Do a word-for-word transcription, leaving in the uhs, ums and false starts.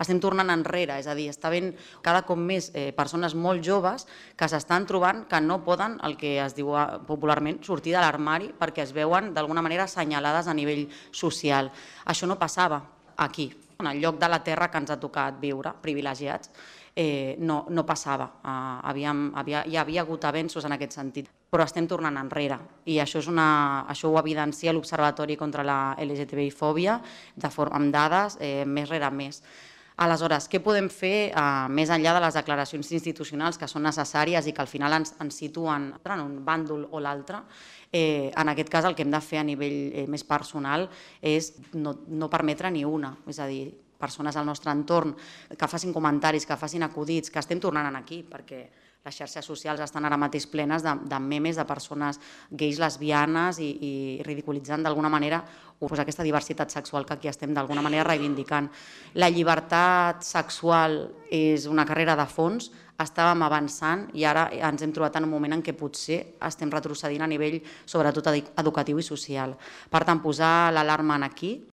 estem tornant enrere, és a dir, està havent cada cop més eh, persones molt joves que s'estan trobant que no poden, el que es diu popularment, sortir de l'armari perquè es veuen d'alguna manera assenyalades a nivell social. Això no passava aquí, en el lloc de la terra que ens ha tocat viure, privilegiats, eh, no, no passava. Uh, havíem, havia, hi havia hagut avenços en aquest sentit, però estem tornant enrere i això, és una, això ho evidencia l'Observatori contra la L G T B I fòbia de forma, amb dades eh, més rere més. Aleshores, què podem fer eh, més enllà de les declaracions institucionals que són necessàries i que al final ens, ens situen en un bàndol o l'altre? Eh, en aquest cas el que hem de fer a nivell eh, més personal és no, no permetre ni una, és a dir, persones al nostre entorn que facin comentaris, que facin acudits, que estem tornant aquí, perquè les xarxes socials estan ara mateix plenes de, de memes de persones gais, lesbianes i, i ridiculitzant d'alguna manera pues, aquesta diversitat sexual que aquí estem d'alguna manera reivindicant. La llibertat sexual és una carrera de fons, estàvem avançant i ara ens hem trobat en un moment en què potser estem retrocedint a nivell sobretot educatiu i social. Per tant, posar l'alarma aquí,